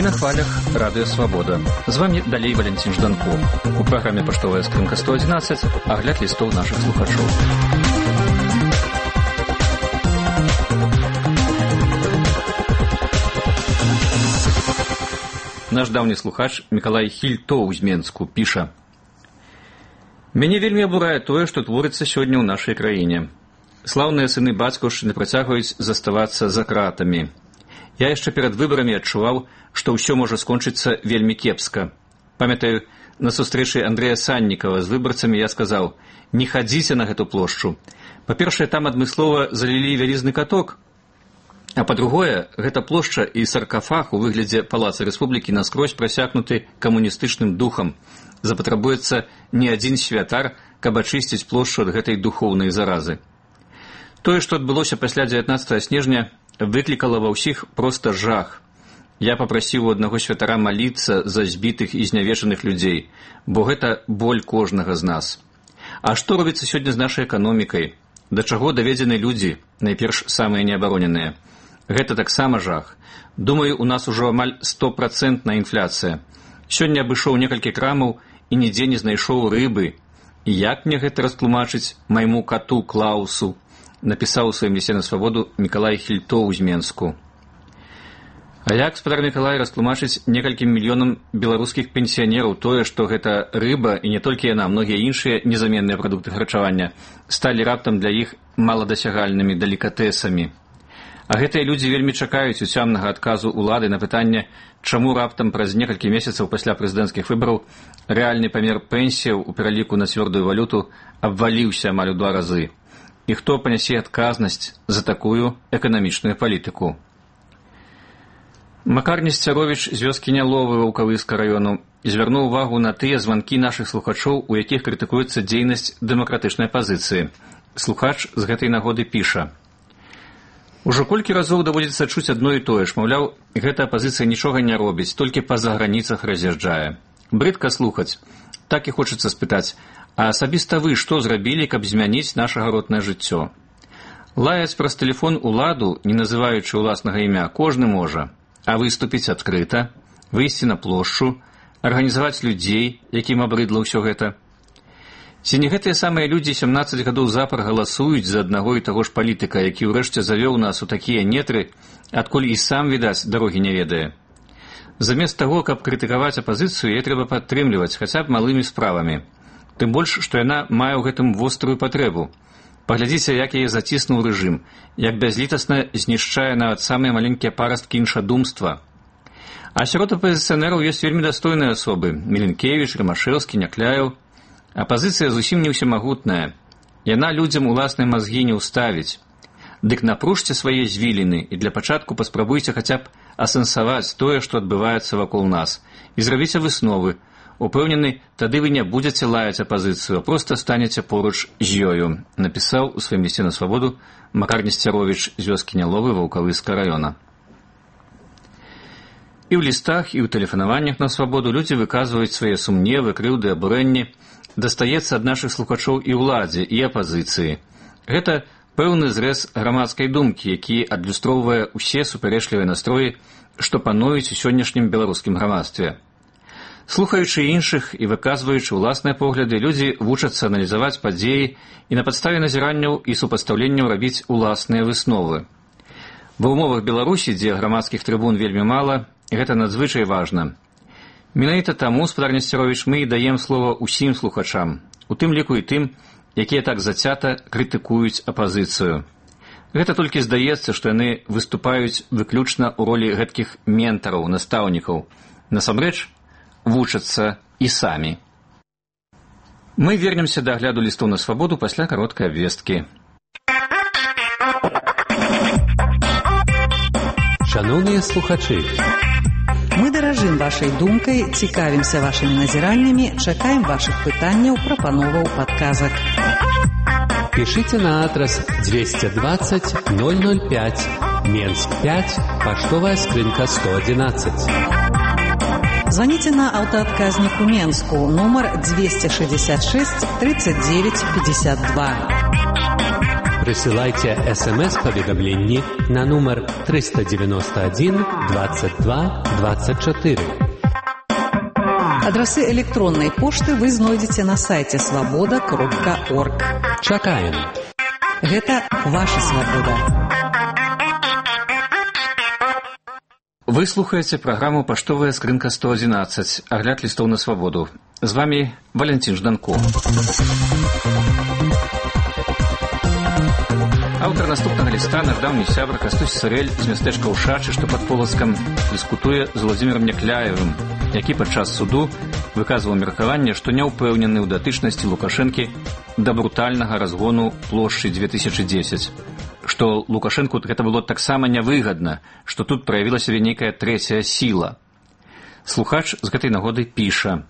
на хвалях Радыё Свабода. З вами далей Валентин Жданко. У праграме «Паштовая скрынка 111» агляд лістоў нашых слухачоў. Наш даўні слухач Мікалай Хільтоў з Менску піша: «Мяне вельмі абурае тое, што творыцца сёння ў нашай краіне. Слаўныя сыны бацькаўшчыны працягваюць заставацца за кратамі. Я яшчэ перад выбарамі адчуваў, што ўсё можа скончыцца вельмі кепска. Памятаю, на сустрэчы Андрэя Саннікава з выбарцамі я сказаў: не хадзіце на гэту плошчу. Па-першае, там адмыслова залілі вялізны каток, а па-другое, гэта плошча і саркафаг у выглядзе палаца рэспублікі наскрозь прасякнуты камуністычным духам. Запатрабуецца не адзін святар, каб ачысціць плошчу ад гэтай духоўнай заразы. Тое, што адбылося пасля 19 снежня, выклікала ва ўсіх проста жах. Я папрасіў у аднаго святара маліцца за збітых і знявечаных людзей, бо гэта боль кожнага з нас. А што робіцца сёння з нашай эканомікай? Да чаго даведзены людзі, найперш самыя неабароненыя? Гэта таксама жах. Думаю, у нас ужо амаль 100% інфляцыя. Сёння абышоў некалькі крамаў і нідзе не знайшоў рыбы. І як мне гэта растлумачыць майму кату Клаусу? Напісаў у сваім лісце на свабоду Мікалай Хільтоў з Менску. А як спадар Мікалай растлумачыць некалькім мільёнам беларускіх пенсіянераў тое, што гэта рыба і не толькі яна, многія іншыя незаменныя прадукты харчавання сталі раптам для іх маладасягальнымі далікатэсамі. А гэтыя людзі вельмі чакаюць уцямнага адказу ўлады на пытанне, чаму раптам праз некалькі месяцаў пасля прэзідэнцкіх выбараў рэальны памер пенсіяў у пераліку на цвёрдую валюту абваліўся амаль у 2 разы. І хто панясе адказнасць за такую эканамічную палітыку? Макар Несцяровіч з вёскі Няловы Ваўкавыска раёну звярнуў увагу на тыя званкі нашых слухачоў, у якіх крытыкуецца дзейнасць дэмакратычнай апазіцыі. Слухач з гэтай нагоды піша: «Ужо колькі разоў даводзіцца чуць адно і тое ж, маўляў, гэта апазіцыя нічога не робіць, толькі па-за граніцах раз'язджае. Брыдка слухаць. Так і хочацца спытаць, а асабіста вы што зрабілі, каб змяніць наша гаротнае жыццё? Лаяць праз тэлефон уладу, не называючы ўласнага імя, кожны можа. А выступіць адкрыта, выйсці на плошчу, арганізаваць людзей, якім абрыдла ўсё гэта. Ці не гэтыя самыя людзі 17 гадоў запар галасуюць за аднаго і таго ж палітыка, які ўрэшце завёў нас у такія нетры, адкуль і сам, відаць, дарогі не ведае? Замест таго, каб крытыкаваць апазіцыю, яе трэба падтрымліваць хаця б малымі справамі. Тым больш, што яна мае ў гэтым вострую патрэбу. Паглядзіце, як яе заціснуў рэжым, як бязлітасна знішчае нават самыя маленькія парасткі іншадумства. А сярод апазіцыянераў ёсць вельмі дастойныя асобы: Міленкевіч, Рымашэўскі, Някляеў. Апазіцыя зусім не ўсемагутная. Яна людзям уласныя мазгі не ўставіць. Дык напружце свае звіліны і для пачатку паспрабуйце хаця б асэнсаваць тое, што адбываецца вакол нас, і зрабіце высновы. Упэўнены, тады вы не будзеце лаяць апазіцыю, а проста станеце поруч з ёю, напісаў у сваім лісце на свабоду Макар Несцяровіч з вёскі Няловы Ваўкавыска раёна. І ў лістах, і ў тэлефанаваннях на свабоду людзі выказваюць свае сумневы, крыўды, абурэнні. Дастаецца ад нашых слухачоў і ўладзе, і апазіцыі. Гэта пэўны зрэз грамадскай думкі, які адлюстроўвае ўсе супярэчлівыя настроі, што пануюць у сённяшнім беларускім грамадстве. Слухаючы іншых і выказваючы ўласныя погляды, людзі вучацца аналізаваць падзеі і на падставе назіранняў і супастаўленняў рабіць уласныя высновы. Ва ўмовах Беларусі, дзе грамадскіх трыбун вельмі мала, гэта надзвычай важна. Менавіта таму, спадар Несцяровіч, мы і даем слова ўсім слухачам, у тым ліку і тым, якія так зацята крытыкуюць апазіцыю. Гэта толькі здаецца, што яны выступаюць выключна ў ролі гэткіх ментараў, настаўнікаў. Насамрэч, вучацца і самі. Мы вернемся да агляду лістоў на свабоду пасля кароткай абвесткі. Шановныя слухачы, мы даражым вашай думкай, цікавімся вашымі назіраннямі, чакаем вашых пытанняў, прапановаў, падказак. Пишите на адрес 220 005, Менск 5, Паштовая скрынка 111. Звоните на автоотказник у Менску, номер 266 39 52. Присылайте СМС-поведомление на номер 391 22 24. Адрасы электронной пошты вы знойдзеце на сайте svoboda.org. Чакаем. Гэта ваша свабода. Вы слухаеце праграму «Паштовая скрынка 111», агляд лістоў на свабоду. З вами Валентин Жданко. Аўтар наступнага ліста, наш даўні сябра Кастусь Сырэль з мястэчка Ушачы, што пад Полацкам, дыскутуе з Владзімірам Някляевым, які падчас суду выказваў меркаванне, што не ўпэўнены ў датычнасці Лукашэнкі да брутальнага разгону плошчы 2010. Што Лукашэнку гэта было таксама нявыгадна, што тут праявіла сябе нейкая трэцяя сіла. Слухач з гэтай нагоды піша: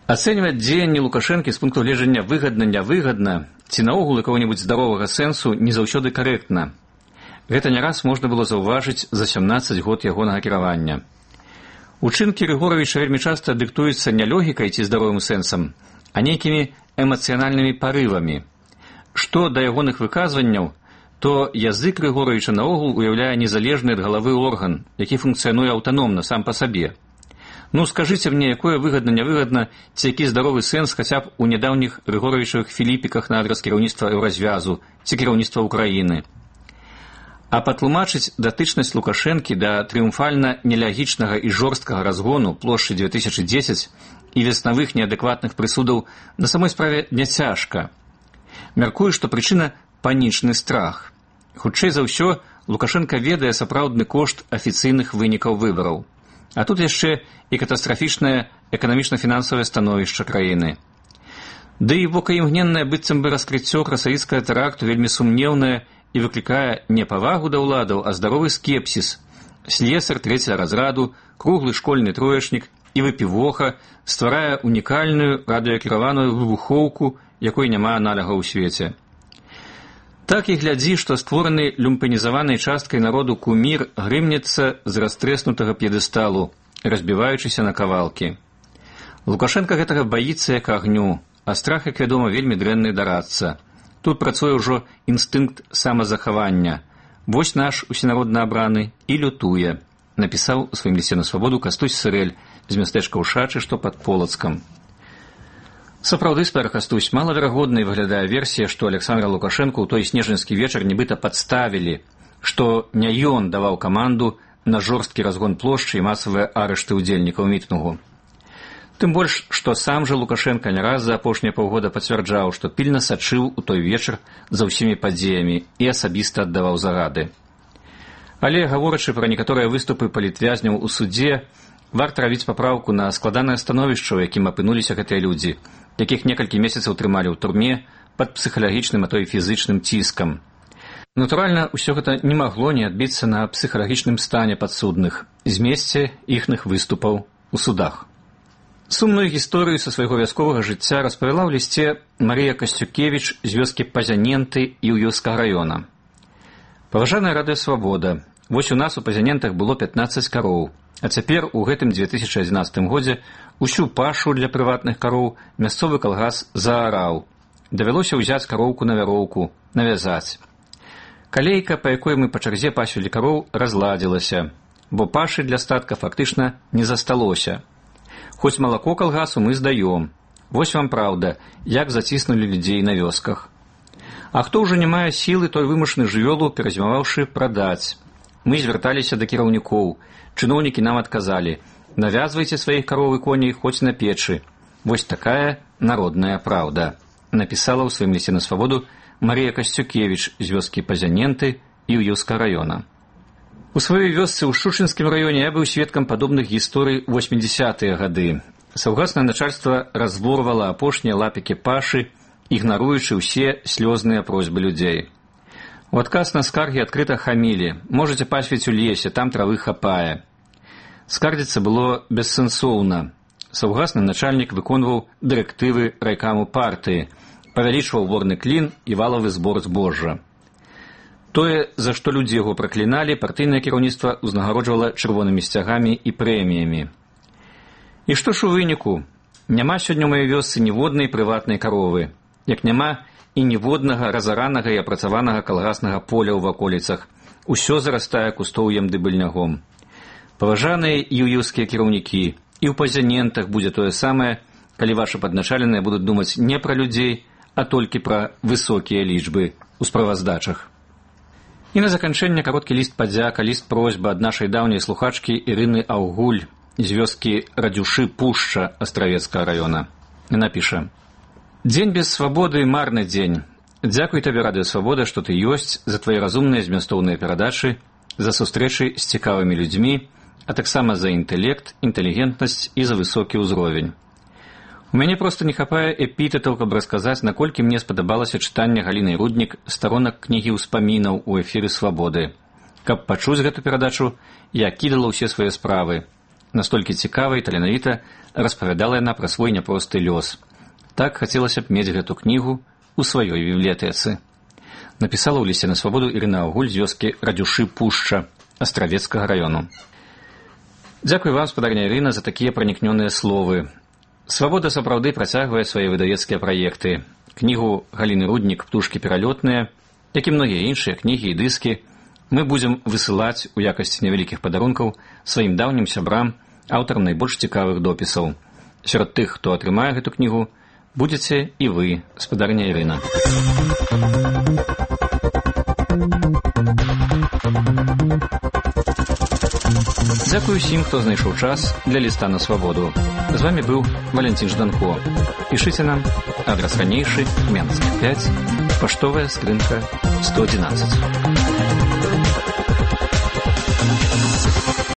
ацэньваць дзеянні Лукашэнкі з пункту гледжання выгадна-нявыгадна ці наогул якога-небудзь здаровага сэнсу не заўсёды карэктна. Гэта не раз можна было заўважыць за 17 год ягонага кіравання. Учынкі Рыгоравіча вельмі часта дыктуюцца не логікай ці здаровым сэнсам, а нейкімі эмацыянальнымі парывамі. Што да ягоных выказванняў, то язык Рыгоравіча наогул уяўляе незалежны ад галавы орган, які функцыянуе аўтаномна сам па сабе. Ну, скажыце мне, якое выгадна-нявыгадна, ці які здаровы сэнс хаця б у нядаўніх Рыгоравічавых філіпіках на адрас кіраўніцтва Еўразвязу ці кіраўніцтва Украіны. А патлумачыць датычнасць Лукашэнкі да трыумфальна нелягічнага і жорсткага разгону плошчы 2010 і веснавых неадэкватных прысудаў на самой справе няцяжка. Мяркую, што прычына панічны страх. Хутчэй за ўсё, Лукашенко ведае сапраўдны кошт афіцыйных вынікаў выбараў. А тут яшчэ і катастрафічнае эканамічна-фінансавае становішча краіны. Ды і бокаімгненнае быццам бы раскрыццё красавіцкага тэракту вельмі сумнеўнае і выклікае не павагу да ўладаў, а здаровы скепсіс. Слесар трэцяга разраду, круглы школьны троечнік і выпівоха стварае унікальную радыёкіраваную выбухоўку, якой няма аналага ў свеце. Так і глядзі, што створаны люмпанізаванай часткай народу кумір грымнецца з растрэснутага п'едэсталу, разбіваючыся на кавалкі. Лукашенка гэтага баіцца як агню, а страх, як вядома, вельмі дрэнны дарадца. Тут працуе ўжо інстынкт самазахавання. Вось наш усенародна абраны і лютуе, напісаў у сваім лісце на свабоду Кастусь Сырэль з мястэчка Ушачы, што пад Полацкам. Сапраўды, спар Кастусь, малаверагоднай выглядае версія, што Александра Лукашэнку ў той снежаньскі вечар нібыта падставілі, што не ён даваў каманду на жорсткі разгон плошчы і масавыя арышты ўдзельнікаў мітынгу. Тым больш, што сам жа Лукашенка не раз за апошнія паўгода пацвярджаў, што пільна сачыў у той вечар за ўсімі падзеямі і асабіста аддаваў загады. Але, гаворачы пра некаторыя выступы палітвязняў у судзе, варта рабіць папраўку на складанае становішча, у якім апынуліся гэтыя людзі, якіх некалькі месяцаў трымалі ў турме пад псіхалагічным, а то і фізычным ціскам. Натуральна, усё гэта не магло не адбіцца на псіхалагічным стане падсудных, змесце іхных выступаў у судах. Сумную гісторыю са свайго вясковага жыцця распавяла ў лісце Марыя Касцюкевіч з вёскі Пазяненты і ў Юрскага раёна. Паважаная радыё «Свабода», вось у нас у Пазянентах было 15 кароў, а цяпер у гэтым 2011 годзе усю пашу для прыватных кароў мясцовы калгас заараў. Давялося ўзяць кароўку на вяроўку, навязаць. Калейка, па якой мы па чарзе пасвілі кароў, разладзілася, бо пашы для статка фактычна не засталося. Хоць малако калгасу мы здаём. Вось вам праўда, як заціснулі людзей на вёсках. А хто ўжо не мае сілы, той вымушаны жывёлу, перазімаваўшы, прадаць. Мы звярталіся да кіраўнікоў. Чыноўнікі нам адказалі: навязвайце сваіх кароў і коней хоць на печы. Вось такая народная праўда, напісала ў сваім лісце на свабоду Марія Касцюкевіч з вёскі Пазяненты і ў Юрскага раёна. У сваёй вёсцы ў Шушынскім раёне я быў сведкам падобных гісторый 80-е гады. Саўгаснае начальства разворвала апошнія лапікі пашы, ігнаруючы ўсе слёзныя просьбы людзей. У адказ на скаргі адкрыта хамілі: можаце пасвіць у лесе, там травы хапае. Скардзіцца было бессэнсоўна. Саўгасны начальнік выконваў дырэктывы райкаму партыі, павялічваў ворны клін і валавы збор збожжа. Тое, за што людзі яго пракліналі, партыйнае кіраўніцтва ўзнагароджвала чырвонымі сцягамі і прэміямі. І што ж у выніку? Няма сёння ў маёй вёсцы ніводнай прыватнай каровы. як няма і ніводнага разаранага і апрацаванага калгаснага поля ў ваколіцах. Усё зарастае кустоўем ды быльнягом. Паважаныя юіўскія кіраўнікі, і ў пазянентах будзе тое самае, калі вашы падначаленыя будуць думаць не пра людзей, а толькі пра высокія лічбы ў справаздачах. І на заканчэнне кароткі ліст падзяка, ліст просьба ад нашай даўняй слухачкі Ірыны Аўгуль з вёскі Радзюшы Пушча Астравецкага раёна. Яна піша: «Дзень без свабоды – марны дзень. Дзякуй табе, Радыё Свабода, што ты ёсць, за твае разумныя змястоўныя перадачы, за сустрэчы з цікавымі людзьмі, а таксама за інтэлект, інтэлігентнасць і за высокі ўзровень. У мяне проста не хапае эпітэтаў, каб расказаць, наколькі мне спадабалася чытанне Галіны Руднік старонак кнігі ўспамінаў у эфіры Свабоды. Каб пачуць гэту перадачу, я кідала ўсе свае справы. Настолькі цікава і таленавіта распавядала яна пра свой няпросты лёс. Так хацелася б мець гэту кнігу у сваёй бібліятэцы». Напісала ў лісце на Свабоду Ірына Аўгуль з вёскі Радзюшы Пушча Астравецкага раёну. Дзякуй вам, спадарня Ірына, за такія пранікнёныя словы. Свабода сапраўды працягвае свае выдавецкія праекты. Кнігу Галіны Руднік «Птушкі пералётныя», як і многія іншыя кнігі і дыскі, мы будзем высылаць у якасці невялікіх падарункаў сваім даўнім сябрам, аўтарам найбольш цікавых допісаў. Сярод тых, хто атрымае гэту кнігу, будзеце і вы, спадарня Ірына. Дзякуй усім, хто знайшоў час для ліста на Свабоду. З вами быў Валентин Жданко. Пішыце нам, адрас ранейшы, Менск 5, паштовая скрынка 111.